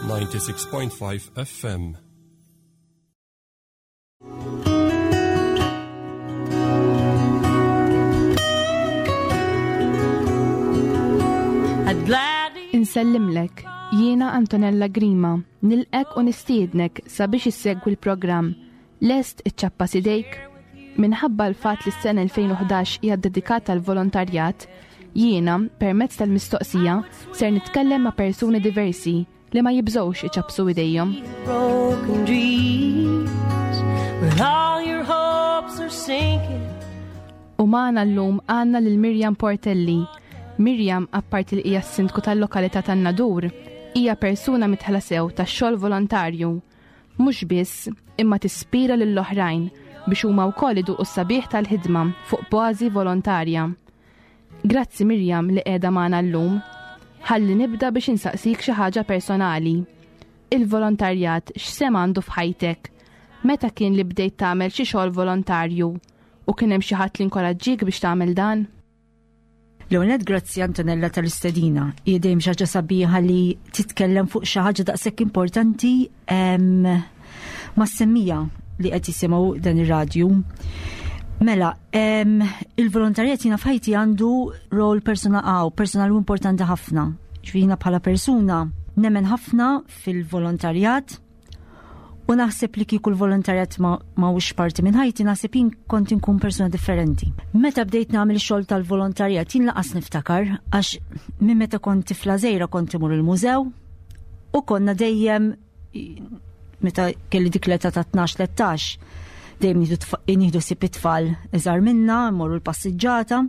96.5 FM. Insellimlek, jiena Antonella Grima, nilqek u nistiednek sabiex issegwi l-programm Lest iċċappa sidejk? Minħabba l-fatt li s-sena 2011 hija ddedikata għal volontarjat, jiena, permezz tal-mistoqsija, ser nitkellem ma' persuni diversi li ma jibżgħux iċappsu idejhom. U magħna llum għandna lil Mirjam Portelli. Mirjam, apparti li hija s-sindku tal-lokalità tan-Nadur, hija persuna mitħla sew tax-xogħol volontarju. Mhux biss, imma tispira lill-oħrajn biex huma wkoll iduqu s-sabiħ tal-ħidma fuq bażi volontarja. Grazzi Mirjam li qiegħda magħna llum. Ħalli nibda biex insaqsik xi ħaġa personali. Il-volontarjat x'sehem għandu f'ħajtek? Meta kien li bdejt tagħmel xi xogħol volontarju? U kien hemm xi ħadd li nkoraġġik biex tagħmel dan? L-ewwel nett grazzi Antonella tal-istedina. Hija dejjem xi ħaġa sabiħa li titkellem fuq xi ħaġa daqshekk importanti mas-semmija li qed jisimgħu dan ir-radju. Mela, il-volontarjat jiena f'ħajti għandu rol persona għaw, personali importanti ħafna. Ġifieri bħala persuna nemmen ħafna fil-volontarjat U naħseb li kieku l-volontarjat ma mhux parti minn ħajti, naħseb jien kont inkun persuna differenti. Meta bdejt nagħmel xogħol tal-volontarjat jien laqas niftakar għax minn meta kont tifla żgħira kont imur il-mużew u konna dejjem meta kelli dik l-età ta' 12-13 dejjem nieħdu sib it-tfal iżgħar minna, mmorru l-passiġġata.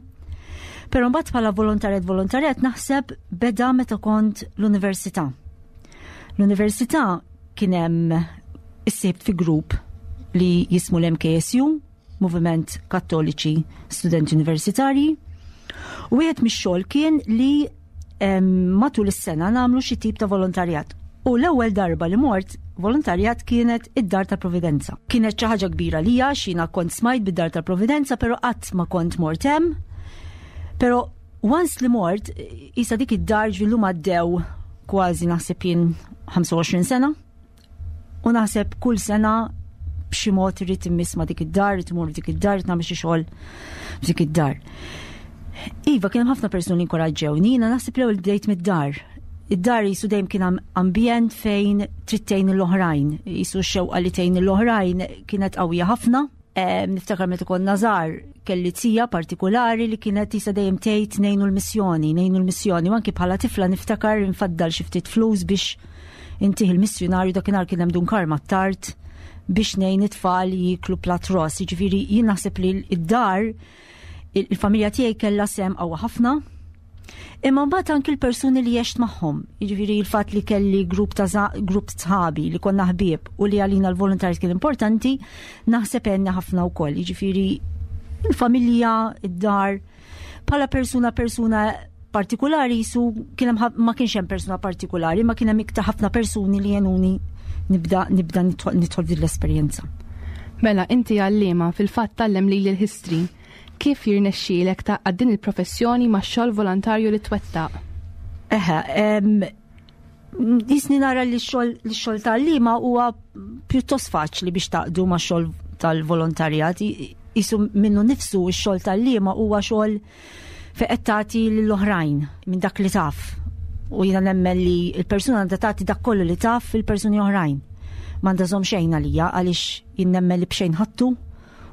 Però mbagħad bħala volontarjat volontarjat naħseb beda meta kont l-università. L-università kien hemm issibt fi grupp li jismu l-MKSU, Moviment Kattoliċi Studenti Universitarji, u wieħed mix-xogħol kien li matul is-sena nagħmlu xi tip ta' volontarjat. U l-ewwel darba li mort volontarjat kienet id-Dar ta' Providenza. Kienet xi ħaġa kbira lija xina kont smajt bid-Dar ta' Providenza, però qatt ma kont mort hemm. Però Once li mort, isa dik id-dar ġvillum għaddew kważi naħseb jien 25 sena. U naħseb kull sena b'xi mod irrid immiss ma' dik id-dar, irrid imur dik id-dar, irrid nagħmel xi xogħol f'dik id-dar. Iva, kien hemm ħafna persuni li inkoraġġewni, jiena naħseb l-ewwel bdejt mid-dar. Id-dar jisu dejjem kien ambjent fejn trid tgħin l-oħrajn, jisu x-xewqa li tgħin l-oħrajn kienet qawwija ħafna. Niftakar meta konna żgħar kelli tija partikulari li kienet tisa dejjem tgħid ngħinu l-missjoni, ngħinu l-missjoni, u anki bħala tifla niftakar infaddal xi ftit flus biex intih il-missjunarju dakinhar kien hemm Dun Karma tard biex ngħin it-tfal jiklu plat ross. Jiġifieri jien naħseb li d-dar il-familja tiegħi kellha sem qawwa ħafna Imma mbagħad anki l-persuni li għext magħhom, jiġifieri l-fatt li kelli grupp ta' grupp sħabi li konna ħbieb u li għalina l-volontarjat kien importanti, naħseb għenna ħafna wkoll. Jiġifieri il-familja, id-dar, bħala persuna persuna partikolari jisu kien ma kienx hemm persuna partikolari, ma kien hemm iktar ħafna persuni li jenuni nibda nibda nidħol din l-esperjenza. Mela inti għalliema fil-fatt tgħallem lili l-history. Kif jirnexxielek tgħaqqad din il-professjoni max-xogħol volontarju li twettaq? Eħe, jisni nara li x-xogħol tal-lima huwa pjuttost faċli biex taqdu ma' xogħol tal-volontarjat. Jisu minnu nifsu x-xogħol tal-lima huwa xogħol fejn qed tagħti lill-oħrajn minn dak li taf. U jiena nemmen li l-persuna għandha tagħti dak kollu li taf fil-persuni oħrajn. M'għandha żomm xejn għalija għaliex jien nemmen li b'xejn ħattu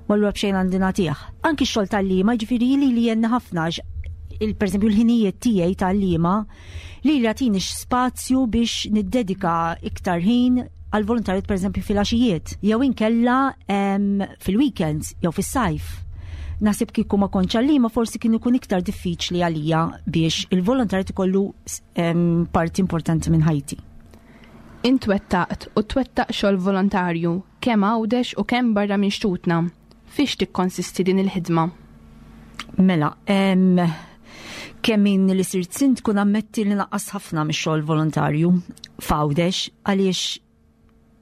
u allura b'xejn għandi nagħtih. Anki x-xogħol tal-liema jiġifieri li li jenni ħafna il per eżempju l-ħinijiet tiegħi tal-liema li li jagħtini spazju biex niddedika iktar ħin għal volontarjat per eżempju fil-għaxijiet jew inkella fil-weekends jew fis-sajf. Naħseb kieku ma kontx għallima forsi kien ikun iktar diffiċli għalija biex il-volontarjat ikollu parti importanti minn ħajti. Int wettaqt u twettaq xogħol volontarju kemm Għawdex u kemm barra minn xtutna. Fiex tikkonsisti din il-ħidma? Mela, kemm inni li sirt sindku nammetti li naqqas ħafna mix-xogħol volontarju f'Għawdex għaliex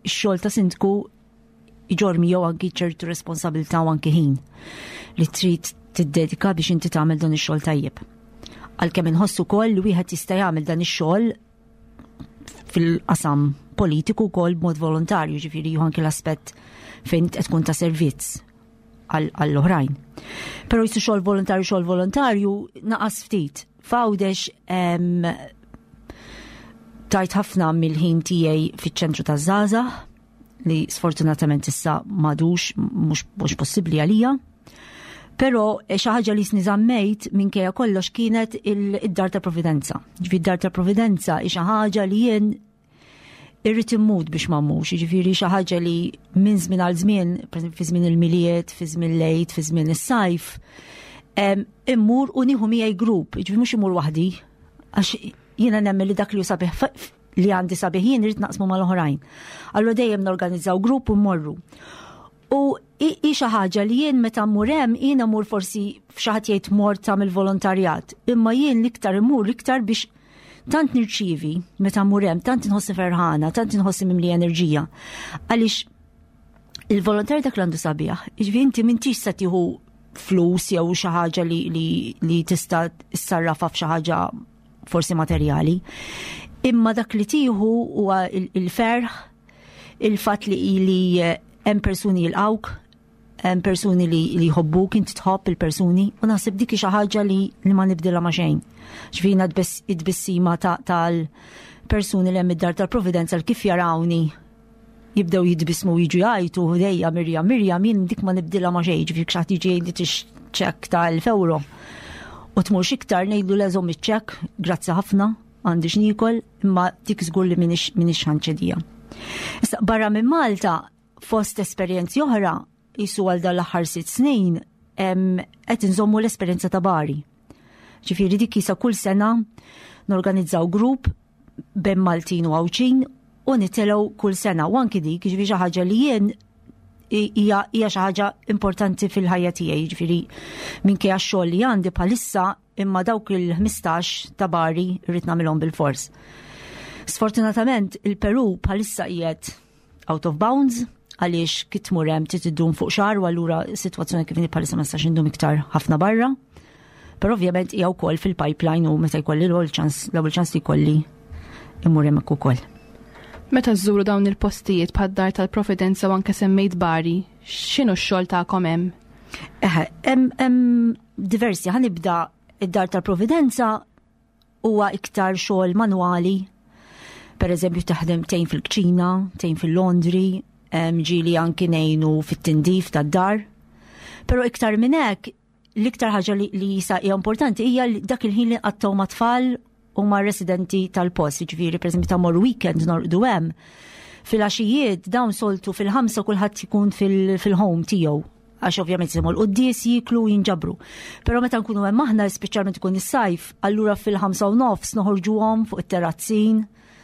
ix-xogħol ta' sindku iġorr miegħu anki ċertu responsabilità u anki ħin li trid tiddedika biex inti tagħmel dan ix-xogħol tajjeb. Għalkemm inħossu wkoll li wieħed jista' jagħmel dan ix-xogħol fil-qasam politiku wkoll b'mod volontarju, ġifieri anki l-aspett fejn qed tkun ta' servizz għall-oħrajn. Però jisu xogħol volontarju xogħol volontarju naqas ftit. Fawdex tajt ħafna mill-ħin tiegħi fiċ-ċentru taż-żgħażagħ li sfortunatament issa madux mhux possibbli għalija. Però eh, xi ħaġa li sniżammejt minkejja kollox kienet id-dar ta' Providenza. Ġifi d-dar ta' Providenza hi xi ħaġa li jien irrid immut biex ma mmux, jiġifieri xi ħaġa li minn żmien għal żmien, fi żmien il-milied, fi żmien lejt, fi żmien is-sajf, immur u nieħu miegħi grupp, jiġifieri mhux immur waħdi, għax jiena nemmen li dak li hu sabiħ li għandi sabiħ jien irrid naqsmu mal-oħrajn. Allura dejjem norganizzaw grupp u mmorru. U hi xi ħaġa li jien meta mmur hemm jien mmur forsi f'xi ħadd jgħid mort tagħmel volontarjat, imma jien l-iktar immur l-iktar biex tant nirċievi meta mmur hemm, tant inħossi ferħana, tant inħossi mimli enerġija. Għaliex il-volontarju dak l-għandu sabiħ, jiġifieri inti m'intix se tieħu flus jew xi ħaġa li, li, li tista' ssarrafa f'xi ħaġa forsi materjali. Imma dak li tieħu huwa il-ferħ, il-fatt li li eh, hemm persuni jilqawk, hemm persuni li li jħobbuk, inti tħobb il-persuni, u naħseb dik xi ħaġa li li ma nibdilha ma xejn. Ġvina id-tbissima tal-persuni li hemm id-dar tal-Providenza kif jarawni jibdew jitbismu jiġu jgħajtu ħdejja Mirjam, Mirjam jien dik ma nibdilha ma xejn, ġifieri xi ħadd jiġi jgħidli tix ċekk ta' 1000 euro. U tmur iktar ngħidlu leżhom iċ-ċekk, grazzi ħafna, għandi x'nikol, imma dik żgur li minix ħanċedija. Issa barra minn Malta, fost esperjenzi oħra, jisu għal dan l-aħħar sitt snin, qed inżommu l-esperjenza ta' Bari. Ġifieri dik jisa kull sena norganizzaw grupp bejn Maltin u Għawdxin u nitilgħu kull sena. U anki dik, ġifieri xi ħaġa li jien hija xi ħaġa importanti fil-ħajja tiegħi, ġifieri minkejja x-xogħol li għandi bħalissa imma dawk il-15 ta' Bari rrid nagħmilhom bil-fors. Sfortunatament il-Peru bħalissa qiegħed out of bounds għaliex kif tmur hemm trid iddum fuq xahar u allura s-sitwazzjoni kif bħalissa ma nistax indum iktar ħafna barra. Però ovvjament hija wkoll fil-pipeline u meta jkolli l-ewwel ċans l-ewwel ċans li jkolli immur hemmhekk ukoll. Meta żżuru dawn il-postijiet bħad-dar tal-Providenza u anke semmejt Bari, x'inhu x-xogħol tagħkom hemm? Eħe, hemm diversi ħa nibda id-dar tal-Providenza huwa iktar xogħol manwali. Per eżempju taħdem tgħin fil-kċina, tgħin fil-laundry, ġieli anki ngħinu fit-tindif tad-dar. Però iktar minn hekk, l-iktar ħaġa li, li jisa hija importanti hija dak il-ħin li nqattgħu ma' tfal u ma' residenti tal-post, ġifieri pereżempju ta' mor weekend norqdu hemm. Fil-għaxijiet dawn soltu fil-5 kulħadd ikun fil-home tiegħu għax ovvjament jisimgħu l-quddies jiklu jinġabru. Però meta nkunu hemm aħna speċjalment ikun is-sajf, allura fil-5 u nofs noħorġuhom fuq it-terrazzin,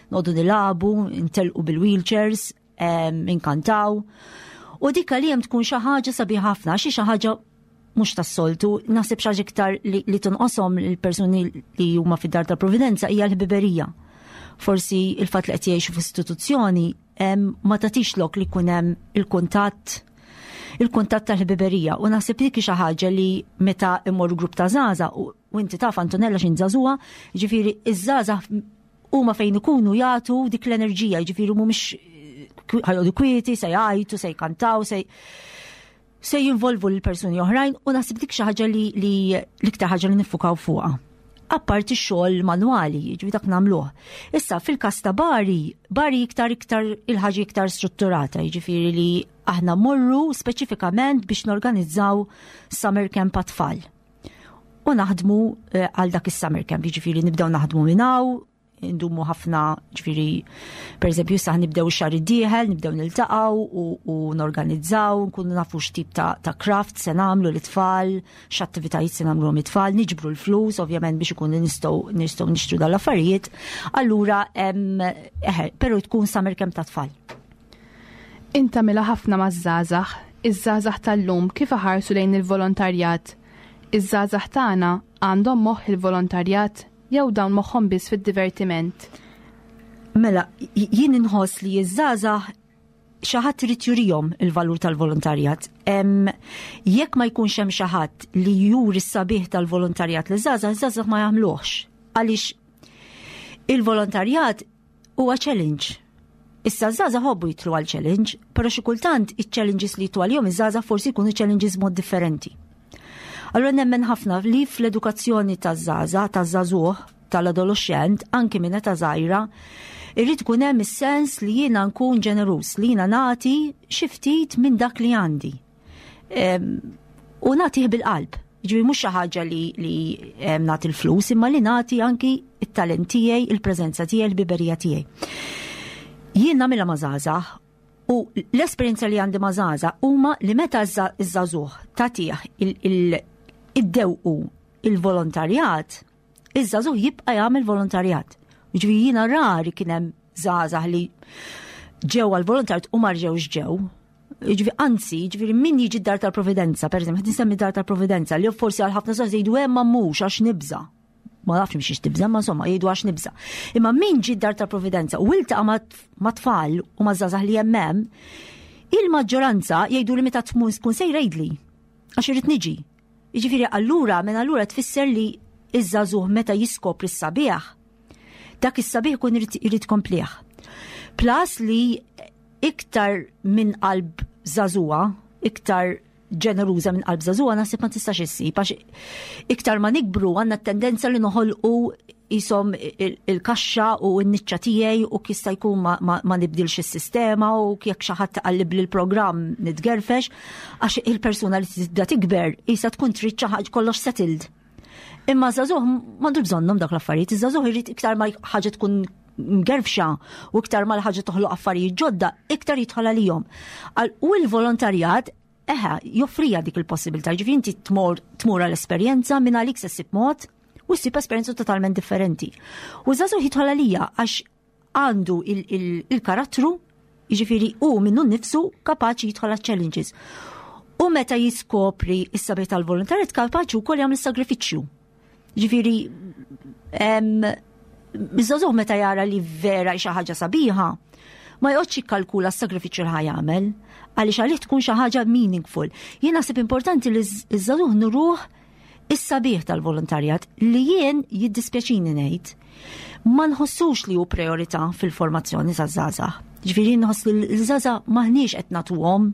noqogħdu nilagħbu, intelqu bil-wheelchairs, inkantaw. U dik għalihom tkun xi ħaġa sabiħ ħafna, xi xi ħaġa mhux tas-soltu, naħseb xi ħaġa iktar li, li tonqoshom il-persuni li huma fid-dar tal-Providenza hija l-ħbiberija. Forsi il-fatt li qed jgħixu f'istituzzjoni ma tagħtix lok li jkun hemm il-kuntatt il-kuntatt tal-ħbiberija u naħseb dik xi ħaġa li meta immorru grupp ta' żgħażagħ u inti taf Antonella x'in żagħżugħa, ġifieri iż-żgħażagħ huma fejn ikunu jagħtu dik l-enerġija, ġifieri mhumiex ħa joqogħdu kwieti, se jgħajtu, se jkantaw, se se jinvolvu l-persuni oħrajn u naħseb dik xi ħaġa li, li l-iktar ħaġa li niffukaw fuqha. Apparti x-xogħol manwali, ġifieri dak nagħmluh. Issa fil-każ ta' Bari, Bari iktar iktar il-ħaġa iktar strutturata, jiġifieri li aħna morru speċifikament biex norganizzaw summer camp għat-tfal. U naħdmu eh, għal dak is-summer camp, jiġifieri nibdew naħdmu minn hawn, indumu ħafna ġifieri per eżempju issa nibdew ix-xahar id-dieħel, nibdew niltaqgħu u, u norganizzaw, nkunu nafu x'tip ta', ta' craft se nagħmlu l-itfal, x'attivitajiet se nagħmlu it-tfal, niġbru l-flus ovvjament biex ikun nistgħu nistgħu nixtru dal-affarijiet. Allura eħe, però tkun summer camp ta' tfal. Inta mila ħafna maż-żgħażagħ, iż-żgħażagħ tal-lum kif iħarsu lejn il-volontarjat. Iż-żgħażagħ tagħna għandhom moħħ il-volontarjat jew dawn moħħhom biss fid-divertiment. Mela, jien inħoss li ż-żgħażagħ xi ħadd irid jurihom il-valur tal-volontarjat. Jekk ma jkunx hemm xi ħadd li juri s-sabiħ tal-volontarjat li żgħażagħ, żgħażagħ ma jagħmluhx. Għaliex il-volontarjat huwa challenge. Issa żgħażagħ ħobbu jitlu għal challenge, però xi kultant iċ-challenges li jitlu għalihom iż-żgħażagħ forsi jkunu challenges mod differenti. Allura nemmen ħafna li fl-edukazzjoni taż-żgħażagħ, taż-żagħżugħ, tal-adolescent, anki minn età żgħira, irrid ikun hemm is-sens li jiena nkun ġeneruż, li jiena nagħti xi ftit minn dak li għandi. U nagħtih bil-qalb. Ġifieri mhux xi ħaġa li, li nagħti l-flus, imma li nagħti anki it-talent tiegħi, il-preżenza tiegħi, il-biberija tiegħi. Jien nagħmilha ma' żgħażagħ u l-esperjenza li għandi ma' żgħażagħ huma li meta ż-żagħżugħ tagħtih id-dewqu il-volontarjat, iż-żagħżugħ jibqa' jagħmel volontarjat. Ġifieri jiena rari kien hemm żgħażagħ li ġew għal volontarjat u ma rġewx ġew. Ġifieri anzi, ġifieri min jiġi d-dar tal-Providenza, pereżempju, qed insemmi dar tal-Providenza li forsi għal ħafna żgħażagħ jgħidu hemm ma mhux għax nibża'. Ma nafx mhix tibża' ma insomma jgħidu għax nibża'. Imma min ġi d-dar tal-Providenza u iltaqa' ma' tfal u ma' żgħażagħ li hemm hemm, il-maġġoranza jgħidu li meta tmur tkun sejra jgħidli għax irid niġi. Jiġifieri allura minn allura tfisser li iż-żagħżugħ meta jiskopri s-sabiħ, dak is-sabiħ ikun irid komplih. Plus li iktar minn qalb żagħżugħa, iktar ġeneruża minn qalb żagħżugħa naħseb ma tistax issib għax iktar ma nikbru għandna t-tendenza li noħolqu jisom il-kaxxa u n-niċċa tiegħi u kista jkun ma, ma, ma nibdilx is-sistema u jekk xi ħadd taqallib li l-programm nitgerfex għax il-persuna li tibda tikber isa tkun trid xi ħaġa kollox settled. Imma żagħżugħ m'għandu bżonnhom dak l-affarijiet, iż-żagħżugħ irid iktar ma ħaġa tkun mgerfxa u iktar ma l-ħaġa toħloq affarijiet ġodda, iktar jidħol għalihom. U l-volontarjat eħe, joffrija dik il-possibilità, ġifieri inti tmur tmur għall-esperjenza minn għalik se ssib mod u ssib esperjenza totalment differenti. U żagħżugħ jidħol għalija għax għandu il-karattru, jiġifieri hu minnu nnifsu kapaċi jidħol għal challenges. U meta jiskopri is-sabiħ tal-volontarjat kapaċi wkoll jagħmel sagrifiċċju. Ġifieri iż-żagħżugħ meta jara li vera xi ħaġa sabiħa, ma joqgħodx jikkalkula s-sagrifiċċju li ħa jagħmel, għaliex għalih tkun xi ħaġa meaningful. Jien naħseb importanti li ż-żagħżugħ nuruh is-sabiħ tal-volontarjat li jien jiddispjaċini ngħid ma nħossux li hu priorità fil-formazzjoni taż-żgħażagħ. Ġifieri nħoss li l-żgħażagħ maħniex qed nagħtuhom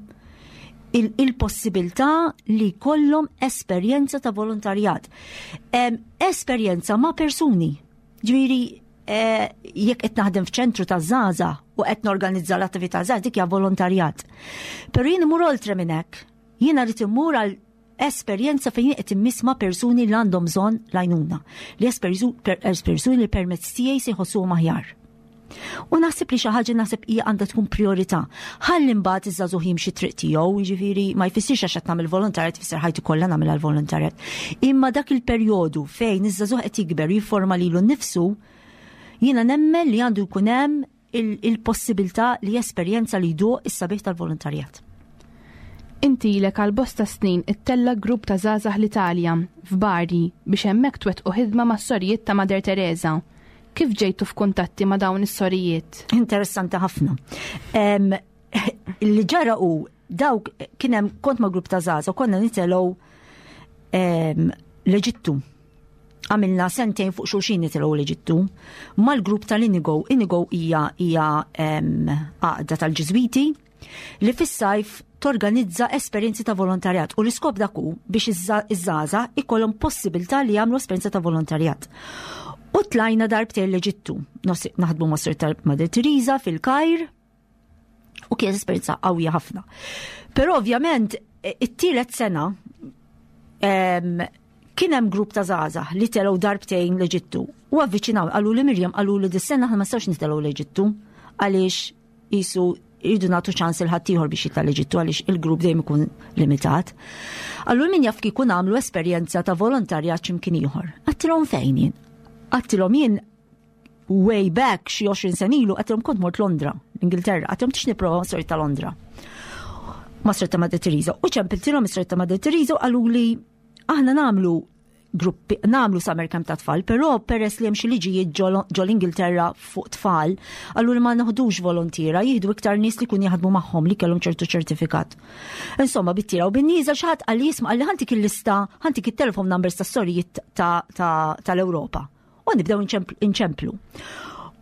il-possibilità li jkollhom esperjenza ta' volontarjat. Esperjenza ma' persuni. Ġifieri eh, jekk qed naħdem f'ċentru ta' żgħażagħ u qed norganizza l-attività żgħażagħ dik hija volontarjat. Però jien imur oltre minn hekk. Jiena rrid immur għal esperjenza fejn qed immiss ma' persuni li għandhom bżonn l-għajnuna, li persuni li permezz tiegħi se jħossuhom aħjar. U naħseb li xi ħaġa naħseb hija għandha tkun priorità. Ħalli mbagħad iż-żagħżugħ jimxi triq tiegħu, jiġifieri ma jfissirx għax qed nagħmel volontarjat tfisser ħajti kollha nagħmel għall-volontarjat. Imma dak il-perjodu fejn iż-żagħżugħ qed jikber jifforma lilu nnifsu, jiena nemmen li għandu jkun hemm il-possibilità li jesperjenza li jduq is-sabiħ tal-volontarjat. Inti ilek għal bosta snin ittella' grupp ta' żgħażagħ l-Italja, f'Bari, biex hemmhekk twettqu ħidma mas-sorijiet ta' Mother Teresa. Kif ġejtu f'kuntatti ma' dawn is-sorijiet? Interessanti ħafna. Li ġara hu dawk kien hemm kont ma' grupp ta' żgħażagħ konna nitelgħu l-Eġittu. Għamilna sentejn fuq xulxin nitilgħu l-Eġittu mal-grupp tal-Inigo. Inigo hija hija għaqda tal-Ġiżwiti li fis-sajf torganizza esperjenzi ta' volontarjat u l-iskop dak hu biex iż-żgħażagħ ikollhom possibilità li jagħmlu esperjenza ta' volontarjat. U tlajna darbtejn l-Eġittu. Naħdmu ma' Sir Mother Teresa fil-Kajr u kienet esperjenza qawwija ħafna. Però ovvjament it-tielet sena kien hemm grupp ta' żgħażagħ li telgħu darbtejn l-Eġittu u avviċinaw qalu li Mirjam qalu li dis-sena aħna ma nistgħux nitelgħu l-Eġittu għaliex jisu jridu nagħtu ċans il ħaddieħor biex jitla' l-Eġittu għaliex il-grupp dejjem ikun limitat. Allura min jaf kieku nagħmlu esperjenza ta' volontarjat x'imkien ieħor. Għattilhom fejn jien? Għattilhom jien way back xi 20 sena ilu għattilhom kont mort Londra, l-Ingilterra, għattilhom tix nipprova ma' ta' Londra. Ma' ta' Mother Teresa. U ċempiltilhom is ta' Mother Teresa u qalu li aħna nagħmlu gruppi nagħmlu summer camp ta' tfal, però peress li hemm xi liġijiet ġol Ingilterra fuq tfal, allura ma naħdux volontiera, jieħdu iktar nies li kun jaħdmu magħhom li kellhom ċertu ċertifikat. Insomma, bit-tira u bin-nieża xi ħadd qalli jisma' qalli ħantik il-lista, ħantik it-telephone numbers tas-sorijiet tal-Ewropa. U nibdew inċemplu.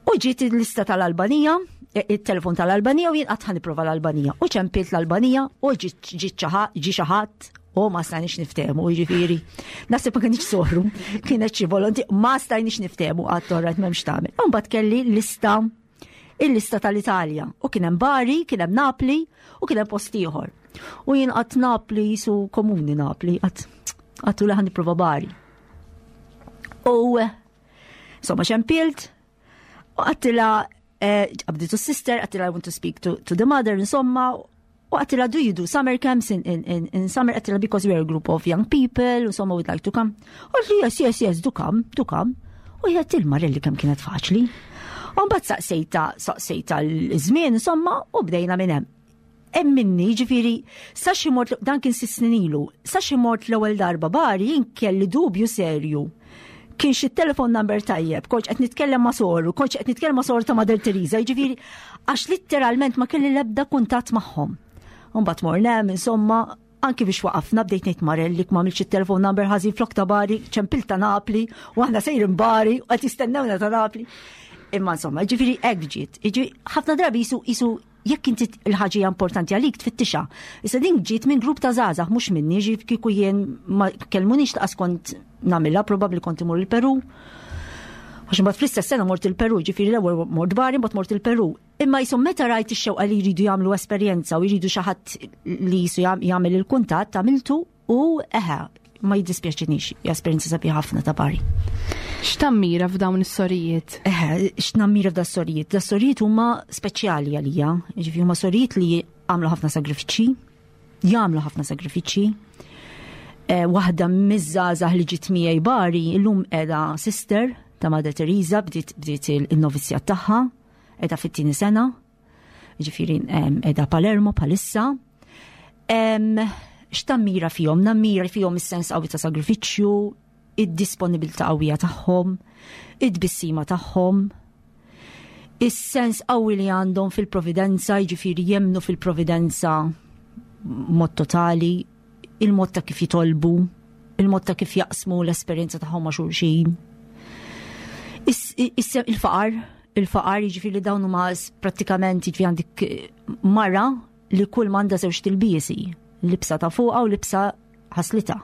U ġiet il-lista tal-Albanija, e, il-telefon tal-Albanija u jien qatt nipprova l-Albanija. U ċempilt l-Albanija u ġi xi ħadd u ma stajniex niftehmu, jiġifieri. Naħseb ma kienx soħru, kienet xi volonti, ma stajniex niftehmu għad torret m'hemmx tagħmel. U mbagħad kelli lista il-lista tal-Italja u kien hemm Bari, kien hemm Napli u kien hemm post ieħor. U jien qatt Napli jisu komuni Napli, qatt għattu li ħan nipprova Bari. U Insomma, xempilt, u għattila, eh, għabditu sister, għattila I want to speak to, to the mother, insomma, u għattila do you do summer camps in, in, in, in summer, għattila because we are a group of young people, insomma, we'd like to come. U għalli, yes, yes, yes, do come, do come. U jgħat il-marelli kem kienet faċli. U mbagħad saqsejta, saqsejta l-żmien, insomma, u bdejna minn hemm. Hemm minni, ġifieri, sa xi mort dan kien sitt snin ilu, sa xi mort l-ewwel darba Bari jien kelli dubju serju. Kien xi telefon number tajjeb, kontx qed nitkellem ma' soru, kontx qed nitkellem ma' soru ta' Mother Teresa, jiġifieri għax litteralment ma kelli l-ebda kuntatt magħhom. Mbagħad morna hemm, insomma, anki biex waqafna bdejt ngħid Marelli ma għamilx it-telefon number ħażin flok ta' Bari, ċempil ta' Napli, u aħna sejrin Bari u qed jistennewna ta' Napli. Imma insomma, ġifieri hekk ġiet. Jiġifieri ħafna drabi jisu jisu jekk inti l-ħaġa hija importanti għalik tfittixha. Issa din ġiet minn grupp ta' żgħażagħ mhux minni, ġi kieku jien ma kellmunix laqas kont nagħmilha, probabbli kont imur il-Peru. Għax imbagħad fl-istess sena mort il-Peru, ġifieri l-ewwel mort Bari, mbagħad mort il-Peru. Imma jisom meta rajt ix-xewqa li jridu jagħmlu esperjenza u jridu xi ħadd li jisu jagħmel il-kuntatt għamiltu U eħe, ma jiddispjaċinix, esperjenza sabiħa ħafna ta' Bari. X'tammira f'dawn is-sorijiet? Eħe, x'nammira f'da sorijiet? Da sorijiet huma speċjali għalija, ġifi huma sorijiet li għamlu ħafna sagrifiċċji, jagħmlu ħafna sagrifiċċji. Eh, waħda miż-żgħażagħ li ġiet miegħi Bari illum qiegħda sister ta' Mother Teresa bdiet bdiet il-novizzjat tagħha, qiegħda fit-tieni sena, ġifiri edha Palermo palissa. X'tammira fihom? Nammira fihom is-sens qawwi ta' sagrifiċċju, id-disponibilità qawwija tagħhom, id-tbissima tagħhom, is-sens qawwi li għandhom fil-providenza, jiġifieri jemnu fil-providenza mod totali, il-mod ta' kif jitolbu, il-mod ta' kif jaqsmu l-esperjenza tagħhom ma' xulxin. Il-faqar, il-faqar jiġifieri dawn huma prattikament jiġifieri għandek eh, mara li kull m'għandha żewġ tilbiesi, libsa ta' fuqha u libsa ħaslita.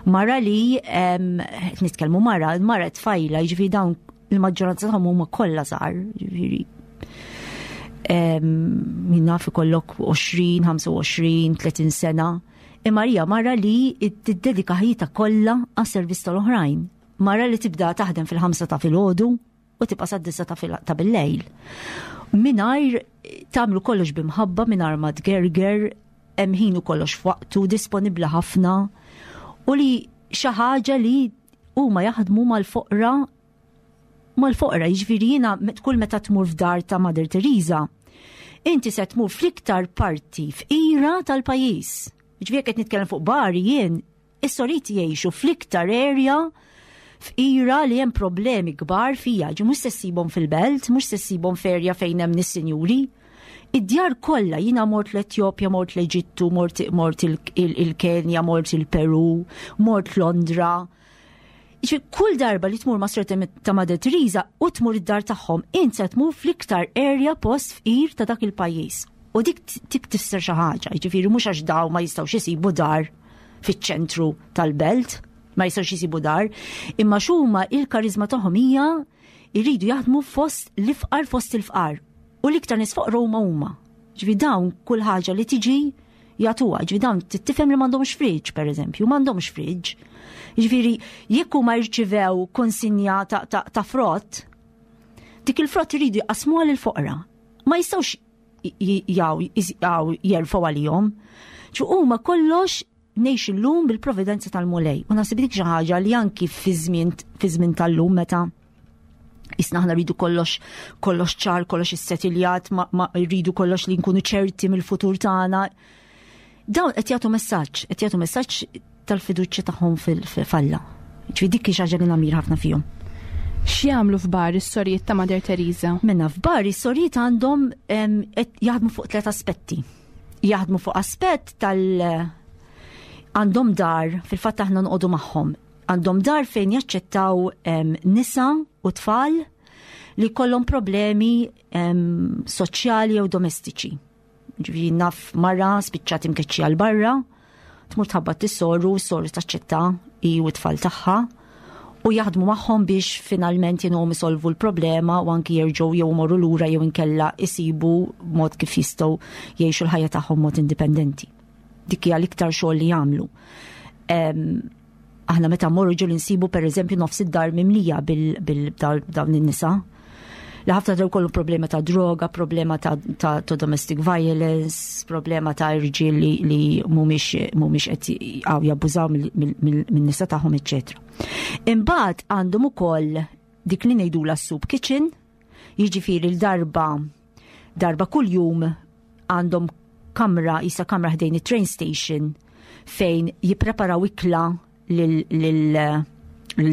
Mara li qed nitkellmu mara, mara tfajla, jiġifieri dawn il-maġġoranza tagħhom huma kollha żgħar, jiġifieri min naf ikollok 20, 25, 30 sena. Imma hija mara li tiddedika ħajjitha kollha għas-servizz tal-oħrajn. Mara li tibda taħdem fil-ħamsa ta' filgħodu u tibqa' sad-disa ta' bil-lejl. Mingħajr tagħmlu kollox bimħabba, mingħajr ma tgerger, hemm ħin u kollox f'waqtu, disponibbli ħafna u li xi ħaġa li huma jaħdmu mal-foqra mal-foqra, jiġifieri jiena kull meta tmur f'dar ta' Mother Teresa, inti se tmur fl-iktar parti fqira tal-pajjiż. Jiġifieri qed nitkellem fuq Bari jien, is-soriti jgħixu fl-iktar area fqira li hemm problemi kbar fija, ġi mhux se ssibhom fil-belt, mhux se ssibhom f'erja fejn hemm nis-sinjuri. Id-djar kollha jiena mort l-Etjopja, mort l-Eġittu, mort, mort il-Kenja, mort il-Peru, mort Londra. Kull darba li tmur ma' Sor ta' Mother Teresa u tmur id-dar tagħhom, int se tmur fl-iktar area post fqir ta' dak il-pajjiż. U dik tik tifser xi ħaġa, jiġifieri mhux għax daw ma jistgħux isibu dar fiċ-ċentru tal-belt, ma jistgħux isibu dar, imma x'huma il-karizma tagħhom hija jridu jaħdmu fost l-ifqar fost il-fqar. U l-iktar nies foqra huma huma. Ġifi dawn kull ħaġa li tiġi jagħtuha. Ġifi dawn tifhem li m'għandhomx friġġ, pereżempju, m'għandhomx friġġ. Ġifieri jekk huma jirċivew konsinja ta', ta, ta frott, dik il-frott iridu jqasmuha lil foqra. Ma jistgħux jaw jerfgħu għalihom. Ġu huma kollox ngħix illum bil-providenza tal-Mulej. U naħseb dik xi ħaġa li anki fi żmien tal-lum meta isna aħna rridu kollox kollox ċar, kollox issettiljat, ma, ma rridu kollox li nkunu ċerti mill-futur tagħna. Dawn qed jagħtu messaġġ, qed jagħtu messaġġ tal-fiduċja tagħhom fil-falla. Ġifieri dik hi xi ħaġa li namir ħafna fihom. X'jagħmlu f'Bari s-sorijiet ta' Mother Teresa? Minna f'Bari s-sorijiet għandhom jaħdmu fuq tliet aspetti. Jaħdmu fuq aspett tal- għandhom dar, fil-fatt aħna nqogħdu magħhom, għandhom dar fejn jaċċettaw nisa u tfal li kollhom problemi soċjali jew domestiċi. Ġifieri naf mara spiċċat imkeċċija l barra, tmur tħabbat is-soru, s-soru taċċetta hi u t-tfal tagħha u jaħdmu magħhom biex finalment jinhom isolvu l-problema u anki jerġgħu jew morru lura jew inkella isibu mod kif jistgħu jgħixu l-ħajja tagħhom mod indipendenti. Dik hija l-iktar xogħol li jagħmlu. Aħna meta mmorru ġieli nsibu pereżempju nofs id-dar mimlija bil-dawn in-nisa li ħafna draw kollu problema ta' droga, problema ta', ta, ta domestic violence, problema ta' irġiel li, li mhumiex mhumiex qed għaw jabbużaw min-nisa tagħhom, eċċetera. Imbagħad għandhom ukoll dik li ngħidula soup kitchen, jiġifieri l-darba darba kuljum għandhom kamra, jisa kamra ħdejn it-train station fejn jippreparaw ikla lil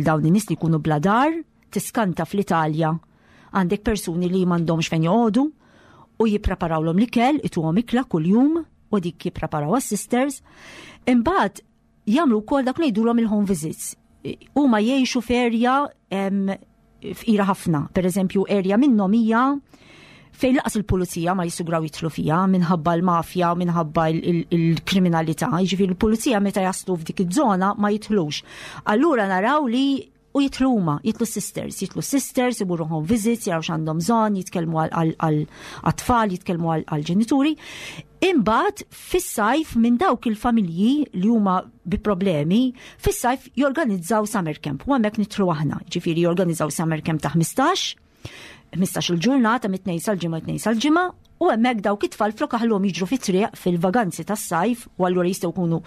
dawn in-nies li jkunu bla dar, tiskanta fl-Italja għandek persuni li m'għandhomx fejn joqogħdu u jippreparawlhom l-ikel, ituhom ikla kuljum u dik jippreparaw għas-sisters. Imbagħad jagħmlu wkoll dak li jgħidulhom il-home visits. Huma jgħixu f'erja fqira ħafna. Per eżempju, erja minnhom hija fejn laqas il-pulizija ma jisugraw jitlu fija minħabba l-mafja u minħabba il-kriminalità. Jiġifieri l-pulizija meta jaslu f'dik iż-żona ma jitlux. Allura naraw li U jitlu huma, jitlu sisters, jitlu sisters, imurru home visits, jaraw x'għandhom bżonn, jitkellmu għal-tfal, jitkellmu għal-ġenituri. Imbagħad fis-sajf minn dawk il-familji li huma bi problemi, fis-sajf jorganizzaw summer camp. U hemmhekk nitlu aħna, ġifieri jorganizzaw summer camp ta' 15, 15 il-ġurnata mit-tnejn sal-ġimgħa tnejn sal-ġimgħa u hemmhekk dawk it-tfal flok aħluhom jiġru fit-triq fil-vaganzi tas-sajf u allura jistgħu jkunu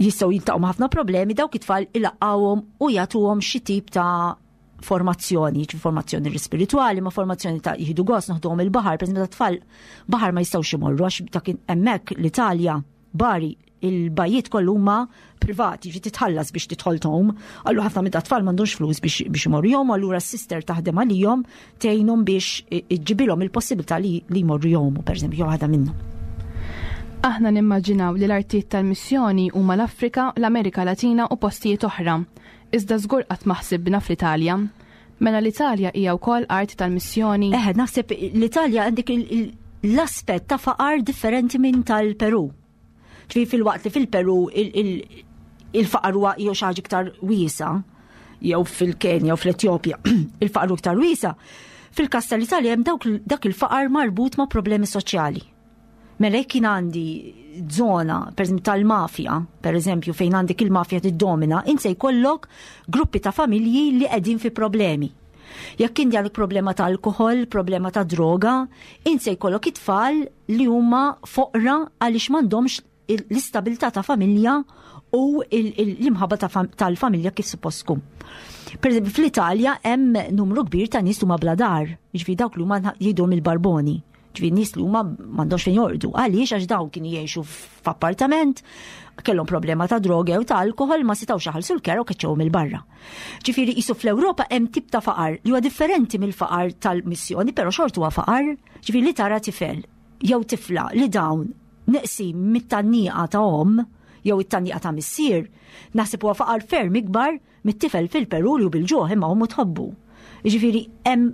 jistgħu jiltaqgħu ma' ħafna problemi dawk it-tfal ilaqgħuhom u jagħtuhom xi tip ta' formazzjoni, ġi formazzjoni spirituali, ma formazzjoni ta' jieħdu gost noħduhom il-baħar, per ta' tfal baħar ma jistgħux imorru għax ta' hemmhekk l-Italja Bari, il-bajiet kollu huma privati, ġi titħallas biex tidħol tom. Allu ħafna minn tfal m'għandhomx flus biex biex imorru jom, allura s-sister taħdem għalihom tgħinhom biex iġġibilhom il-possibilità li li jmorru jomu, pereżempju, waħda minnhom. Aħna nimmaġinaw li l-artijiet tal-missjoni huma l-Afrika, l-Amerika Latina u postijiet oħra. Iżda żgur qatt ma ħsibna fl-Italja. Mela l-Italja hija wkoll art tal-missjoni? Eħe, naħseb l-Italja għandek l-aspett ta' faqar differenti minn tal-Peru. Ġifieri fil-waqt li fil-Peru il-faqar huwa jew xi ħaġa iktar wiesa, jew fil-Kenja u fl-Etjopja il-faqar iktar wiesa, fil-każ tal-Italja hemm dak il-faqar marbut ma' problemi soċjali. Mela jekk jien għandi zona, per eżempju tal-mafja, per eżempju fejn għandek il-mafja tiddomina, int se jkollok gruppi ta' familji li qegħdin fi problemi. Jekk inti għandek problema ta' alkohol, problema ta' droga, int se jkollok it-tfal li huma foqra għaliex m'għandhomx l-istabilità ta' familja u l-imħabba tal-familja kif suppost tkun. Per eżempju, fl-Italja hemm numru kbir ta' nies huma bla dar, jiġifieri dawk li huma jgħidhom il-barboni. Ġifieri nies li huma m'għandhomx fejn jorqdu. Għaliex għax dawn kienu jgħixu f'appartament, kellhom problema ta' droga jew ta' alkohol ma setgħux jaħallsu l-kera u keċċewhom il-barra. Ġifieri qisu fl-Ewropa hemm tip ta' faqar li huwa differenti mill-faqar tal-missjoni, però xorta huwa faqar, ġifieri li tara tifel jew tifla li dawn neqsin mit-tgħanniqa ta' omm jew it-tgħanniqa ta' missier, naħseb huwa faqar ferm ikbar mit-tifel fil-Peru li hu bil-ġuħ imma ommu tħobbu. Jiġifieri hemm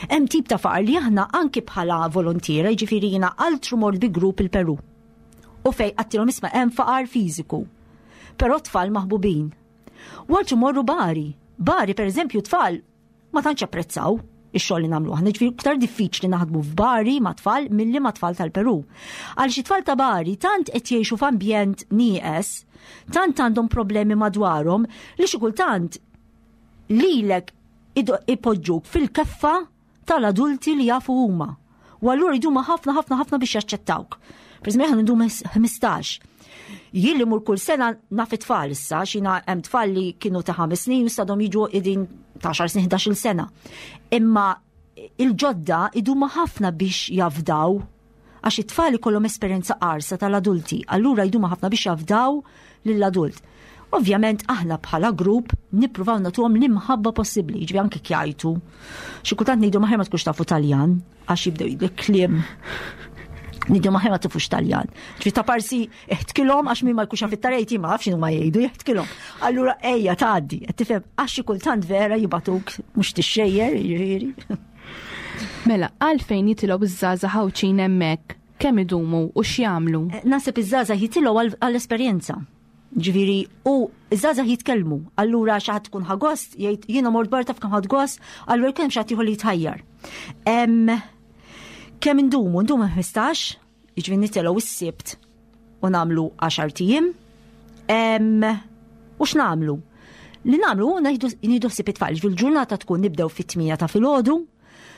hemm tip ta' faqar li aħna anki bħala volontiera, jiġifieri jiena altru mort bi grupp il-Peru. U fej għattilhom isma' hemm faqar fiżiku. Però tfal maħbubin. U altru morru Bari. Bari, per eżempju, tfal ma tantx apprezzaw ix-xogħol li nagħmlu aħna, ġifieri iktar diffiċli naħdmu f'Bari ma' tfal milli ma' tfal tal-Peru. Għal xi tfal ta' Bari tant qed jgħixu f'ambjent nieqes, tant għandhom problemi madwarhom li xi kultant lilek ipoġġuk fil-keffa tal-adulti li jafu huma. U allura jduma ħafna ħafna ħafna biex jaċċettawk. Per eżempju, aħna ndum 15. Jien li mur kull sena naf it-tfal issa, xina hemm tfal li kienu ta' ħames snin u stadhom jiġu qegħdin ta' 10 snin 11-il sena. Imma il-ġodda iduma ħafna biex jafdaw għax it-tfal ikollhom esperjenza qarsa tal-adulti, allura jduma ħafna biex jafdaw lill-adult. Ovvjament aħna bħala grupp nippruvaw nagħtuhom l-imħabba possibbli, jiġifieri anke kjajtu. Xi kultant ngħidu maħjar ma tkunx tafu Taljan għax jibdew jgħidu kliem. Ngħidu maħjar ma tifux Taljan. Ġifieri ta' parsi iħtkilhom għax min ma jkunx jaf it-tarejt ma nafx ma jgħidu jeħtkilhom. Allura ejja tgħaddi, qed tifhem għax xi kultant vera jibatuk mhux tixxejjer, jiġifieri. Mela, għalfejn jitilgħu iż-żgħażagħ Għawdxin hemmhekk? Kemm idumu u x'jagħmlu? Eh, naħseb iż-żgħażagħ jitilgħu għall-esperjenza. Ġifieri, u iż-żgħażagħ jitkellmu, allura xi ħadd tkun ħagost, jgħid jiena mort barra taf kemm ħadd gost, allura kemm xi ħadd ieħor li jitħajjar. Kemm indumu? Ndumu 15, jiġifieri nitilgħu is-Sibt u nagħmlu 10 tijiem. U x'nagħmlu? Li nagħmlu nieħdu ħsieb it-tfal, ġifieri l-ġurnata tkun nibdew fit-8 ta' filgħodu,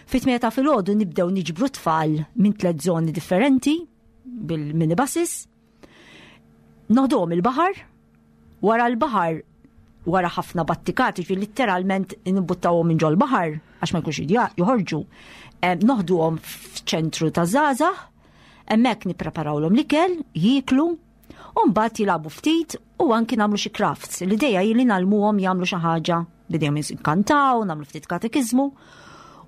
fit-8 ta' filgħodu nibdew niġbru tfal minn tliet żoni differenti bil-minibuses. Noħduhom il-baħar, wara l-baħar wara ħafna battikati, ġifieri litteralment nbuttawhom minn ġol-baħar għax ma jkunx joħorġu. Noħduhom f'ċentru ta' żgħażagħ, hemmhekk nippreparawlhom l-ikel, jieklu, u mbagħad jilagħbu ftit u anki nagħmlu xi crafts. L-idea hi li nagħlmuhom jagħmlu xi ħaġa bidejhom jinkantaw, nagħmlu ftit katekiżmu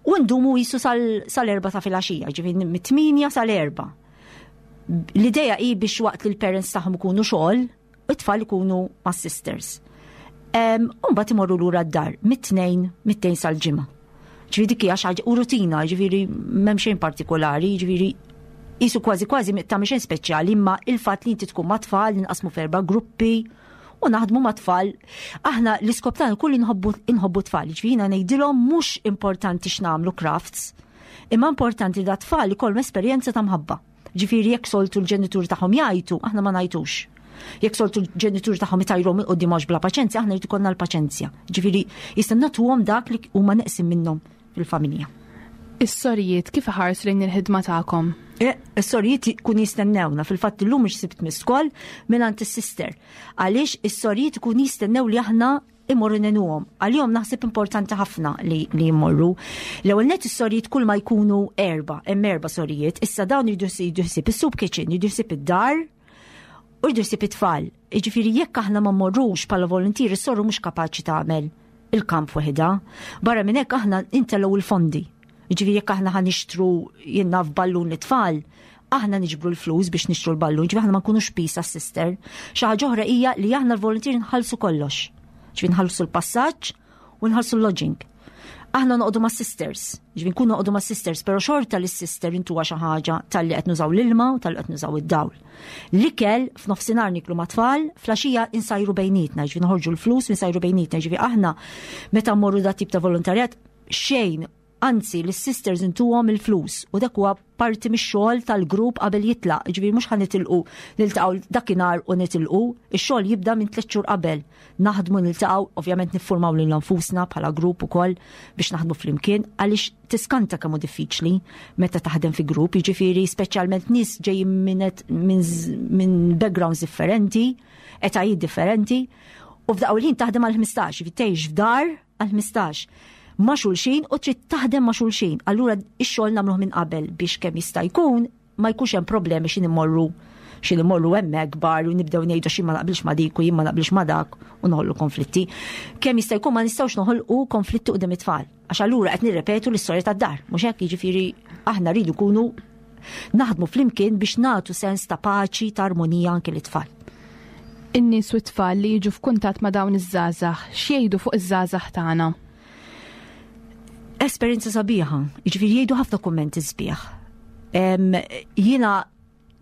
u ndumu jisu sal-erba ta' filgħaxija, ġifieri mit-8 sal-erba. L-idea hi biex waqt li l-parents tagħhom ikunu xogħol, it-tfal ikunu ma' sisters. U mbagħad imorru lura d-dar mit-tnejn, mit-tnejn sal-ġimgħa. Ġifieri dik hija xi ħaġa u rutina, ġifieri m'hemm xejn partikolari, ġifieri jisu kważi kważi ta' xejn speċjali, imma il-fatt li inti tkun ma' tfal, ninqasmu f'erba' gruppi u naħdmu ma' tfal. Aħna l-iskop tagħna kull inħobbu tfal, ġifieri jiena ngħidilhom mhux importanti x'nagħmlu crafts, imma importanti da tfal ikollhom esperjenza ta' mħabba. Ġifieri jekk soltu l-ġenituri tagħhom jgħajtu, aħna ma ngħajtux. Jekk soltu l-ġenituri tagħhom itajruhom il qudiem għax bla paċenzja, aħna jrid ikollna l-paċenzja. Ġifieri jista' nagħtuhom dak li huma neqsin minnhom fil-familja. Is-sorijiet kif iħarsu lejn il-ħidma tagħkom? Eh, is-sorijiet kun jistennewna, fil-fatt illum mhux sibt miskol mingħand is-sister. Għaliex is-sorijiet ikun jistennew li aħna imorru nenuhom. Għalihom naħseb importanti ħafna li, li jmorru. L-ewwel net is-sorijiet kull ma jkunu erba, hemm erba' sorijiet, issa dawn jridu ħsieb is-soup kitchen, jridu ħsieb id-dar u jridu ħsieb it-tfal. Jiġifieri jekk aħna ma mmorrux bħala volontieri, is-soru mhux kapaċi tagħmel il-kamp waħedha. Barra minn hekk aħna intellgħu il-fondi. Jiġifieri jekk aħna ħa nixtru jien naf ballun lit-tfal, aħna niġbru l-flus biex nixtru l-ballun, ġifieri aħna ma nkunux pis għas-sister. Xi ħaġa oħra hija li aħna l-volunteer nħallsu kollox. Ġifieri nħallsu l-passaġġ u nħallsu l-lodging. Aħna noqogħdu ma' sisters, ġifieri nkunu noqogħdu ma' sisters, però xorta li sister intuha xi ħaġa talli qed nużaw l-ilma u talli qed nużaw id-dawl. L-ikel f'nofsinhar niklu ma' tfal, flaxija insajru bejnietna, ġifieri noħorġu l-flus insajru bejnietna, ġifieri aħna meta mmorru dat tip ta' volontarjat xejn anzi lis-sisters intuhom il-flus u dak huwa parti mix-xogħol tal-grupp qabel jitlaq, ġifieri mhux ħa nitilqu niltaqgħu dakinhar u nitilqu, ix-xogħol jibda minn tliet xhur qabel. Naħdmu niltaqgħu, ovvjament niffurmaw lil nfusna bħala grupp ukoll biex naħdmu flimkien għaliex tiskanta kemm hu diffiċli meta taħdem fi grupp, jiġifieri speċjalment nies ġejjin minn min backgrounds differenti, etajiet differenti, u f'daqqa ħin taħdem għal 15, tgħix f'dar għal 15 ma' xulxin u trid taħdem ma' xulxin. Allura ix-xogħol nagħmluh minn qabel biex kemm jista' jkun ma jkunx hemm problemi xi immorru xi immorru hemmhekk bar u nibdew ngħidu xi ma naqbilx ma dik u jien ma naqbilx ma dak u noħolqu konflitti. Kemm jista' jkun ma nistgħux noħolqu konflitti qudiem it-tfal. Għax allura qed nirrepetu l-istorja tad-dar, mhux hekk jiġifieri aħna rridu nkunu naħdmu flimkien biex nagħtu sens ta' paċi, ta' armonija anke lit-tfal. In-nies u t-tfal li jiġu f'kuntatt ma' dawn iż-żgħażagħ x'jgħidu fuq iż-żgħażagħ tagħna? Esperjenza sabiħa, jiġifieri jgħidu ħafna kummenti sbieħ. Jiena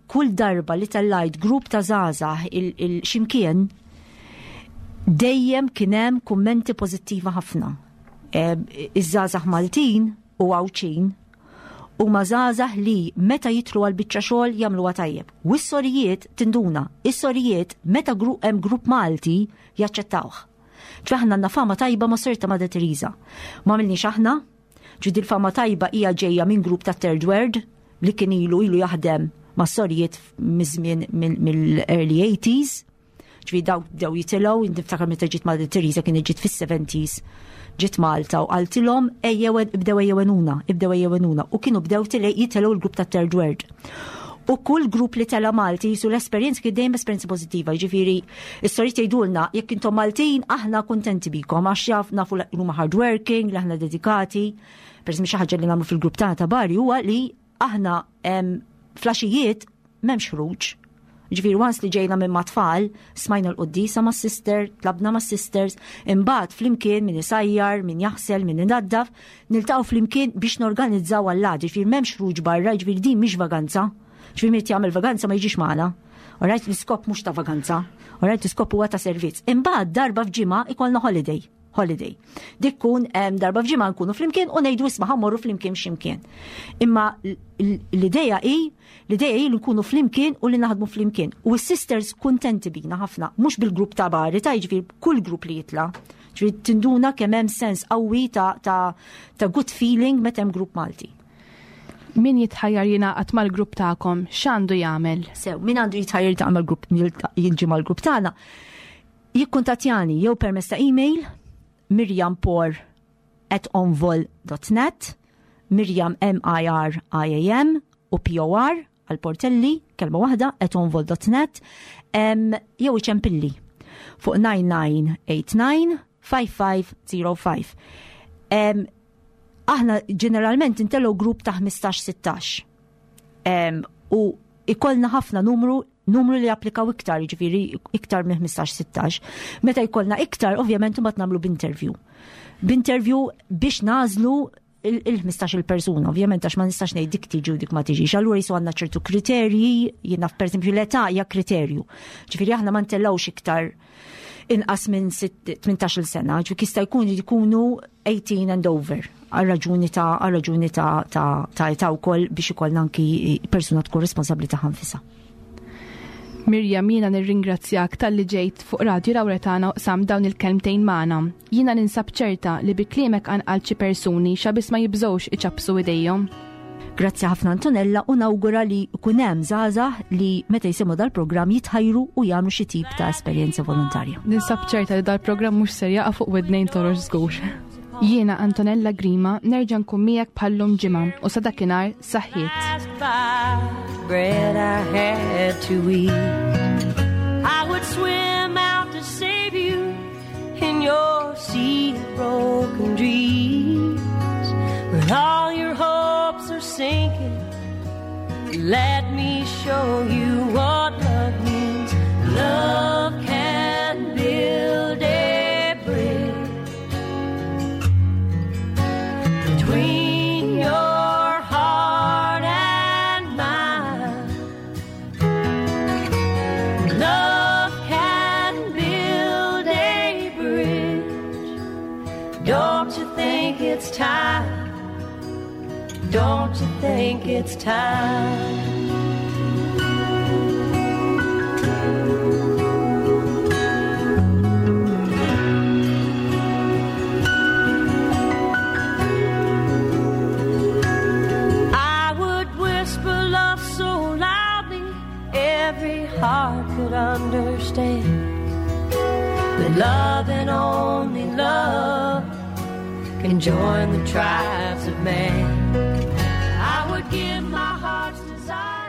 kull darba li tellajt grupp ta' żgħażagħ il-ximkien dejjem kien hemm kummenti pożittiva ħafna. Iż-żgħażagħ Maltin u Għawdxin huma żgħażagħ li meta jidħlu għal biċċa xogħol jagħmluha tajjeb. U s-sorijiet tinduna, is-sorijiet meta hemm grupp Malti jaċċettawh. Ġifieri aħna għandna fama tajba ma' Sorita Madre Teresa. Ma għamilniex aħna, ġifieri il-fama tajba hija ġejja minn grupp ta' Third World li kien ilu ilu jaħdem ma' sorijiet miż-żmien mill-early 80s. Ġifieri dawk bdew jitilgħu, niftakar meta ġiet Madre Teresa kien ġiet fis-70s ġiet Malta u qaltilhom ejjew ibdew ejjewenuna, ibdew ejjewenuna u kienu bdew jitilgħu l-grupp ta' Third World. U kull grupp li tela Malti jisu l-esperjenza kien dejjem esperjenza pożittiva, jiġifieri is-sorijiet jgħidulna jekk intom Maltin aħna kuntenti bikom għax jaf nafu li huma hard working, li aħna dedikati. Per xi ħaġa li nagħmlu fil-grupp tagħna ta' Bari huwa li aħna flaxijiet m'hemmx ħruġ. Ġifieri once li ġejna minn mat-tfal, smajna l-quddisa ma' sister, tlabna ma' sisters, imbagħad flimkien min isajjar, min jaħsel, min inaddaf, niltaqgħu flimkien biex norganizzaw għall-għada, ġifieri m'hemmx ħruġ barra, ġifieri din mhix vaganza. Ġifieri min jagħmel vaganza ma jiġix magħna. Alright, l-iskop mhux ta' vaganza, alright, l-iskop huwa ta' servizz. Imbagħad darba f'ġimgħa ikollna holiday holiday. Dik kun darba f'ġimgħa nkunu flimkien u ngħidu isma' ħammorru flimkien x'imkien. Imma l-idea hi l-idea hi li nkunu flimkien u li naħdmu flimkien. U s-sisters kuntenti bina ħafna, mhux bil-grupp ta' bari ta' jiġifieri kull grupp li jitla'. Ġifieri tinduna kemm hemm sens qawwi ta', ta, ta good feeling meta hemm grupp Malti. Min jitħajjar jingħaqad mal-grupp tagħkom, x'għandu jagħmel? Sew, min għandu jitħajjar jiltaqa' mal-grupp jiġi mal-grupp tagħna, jikkuntattjani jew permezz ta' email mirjampor at onvol.net Mirjam M-I-R-I-A-M u P-O-R għal Portelli, kelma waħda, at onvol.net jew iċempilli fuq 9989 5505. Aħna ġeneralment intellu grupp ta' 15-16. U ikollna ħafna numru numru li applikaw iktar, ġifiri iktar minn 15-16. Meta jkollna iktar, ovvjament imbagħad nagħmlu b'interview. B'interview biex nażlu il-15 il-persuna, ovvjament għax ma nistax ngħid dik tiġi u dik ma tiġix. Allura jisu għandna ċertu kriterji, jiena pereżempju l-età hija kriterju. Ġifieri aħna ma ntellgħux iktar inqas minn 18 sena, ġifieri jista' jkun jkunu 18 and over għal raġuni ta' għal raġuni ta' ta' ta' età wkoll biex ikollna anki persuna tkun responsabbli ta' ħanfisha. Mirjam, jiena nirringrazzjak talli ġejt fuq Radju Lawretana u qsamt dawn il-kelmtejn magħna. Jiena ninsab ċerta li bi kliemek qanqalt xi persuni xa biss ma jibżgħux iċappsu idejhom. Grazzi ħafna Antonella u nawgura li jkun hemm żgħażagħ li meta jisimgħu dal-programm jitħajru u jagħmlu xi tip ta' esperjenza volontarja. Ninsab ċerta li dal-programm mhux ser jaqa' fuq widnejn torox żgur. Jiena Antonella Grima nerġa' nkun miegħek bħallum ġimgħa u sa dakinhar saħħiet. Bread I had to eat. I would swim out to save you in your sea of broken dreams. When all your hopes are sinking, let me show you what love means. Love can build a bridge between your heart and mine. Love can build a bridge. Don't you think it's time? Don't you think it's time? I would whisper love so loudly every heart could understand that love and only love can join the tribes of man. I would give my heart's desire.